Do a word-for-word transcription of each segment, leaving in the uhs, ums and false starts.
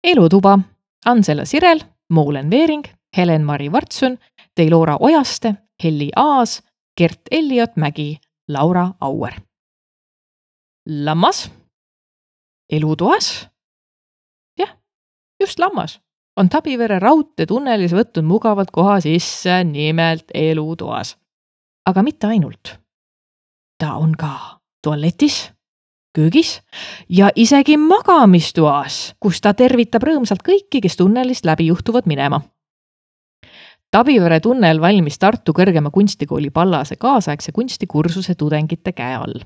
Elutuba, Ansela Sirel, Moolen Veering, Helen-Mari Vartsun, Teilora Ojaste, Helli Aas, Gert Elliot Mägi, Laura Auer. Lammas, elutoas, jah, just lammas, on Tabivere raudtee tunnelis võtnud mugavalt koha sisse, nimelt elutoas. Aga mitte ainult. Ta on ka tualetis, köögis ja isegi magamistoas, kus ta tervitab rõõmsalt kõiki, kes tunnelist läbi juhtuvad minema. Tabivere tunnel valmis Tartu Kõrgema kunstikooli Pallase kaasaegse kunstikursuse tudengite käe all.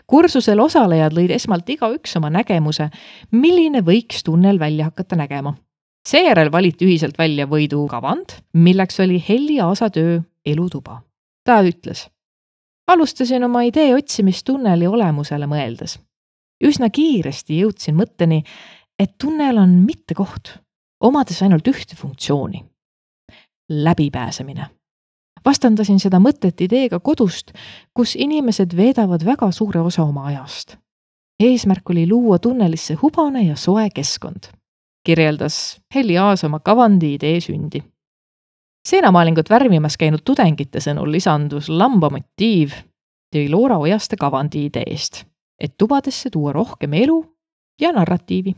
Kursusel osalejad lõid esmalt iga üks oma nägemuse, milline võiks tunnel välja hakata nägema. Seejärel valiti ühiselt välja võidu kavand, milleks oli Helli Aasa töö Elutuba. Ta ütles: alustasin oma idee otsimist tunneli olemusele mõeldes. Üsna kiiresti jõudsin mõtteni, et tunnel on mitte koht, omades ainult ühte funktsiooni. Läbipääsemine. Vastandasin seda mõtet ideega kodust, kus inimesed veedavad väga suure osa oma ajast. Eesmärk oli luua tunnelisse hubane ja soe keskkond, kirjeldas Helli Aas oma kavandi idee sündi. Seenamaalingut värvimas käinud tudengite sõnul lisandus lamba motiiv Teilora Ojaste kavandi ideest, et tubadesse tuua rohkem elu ja narratiivi.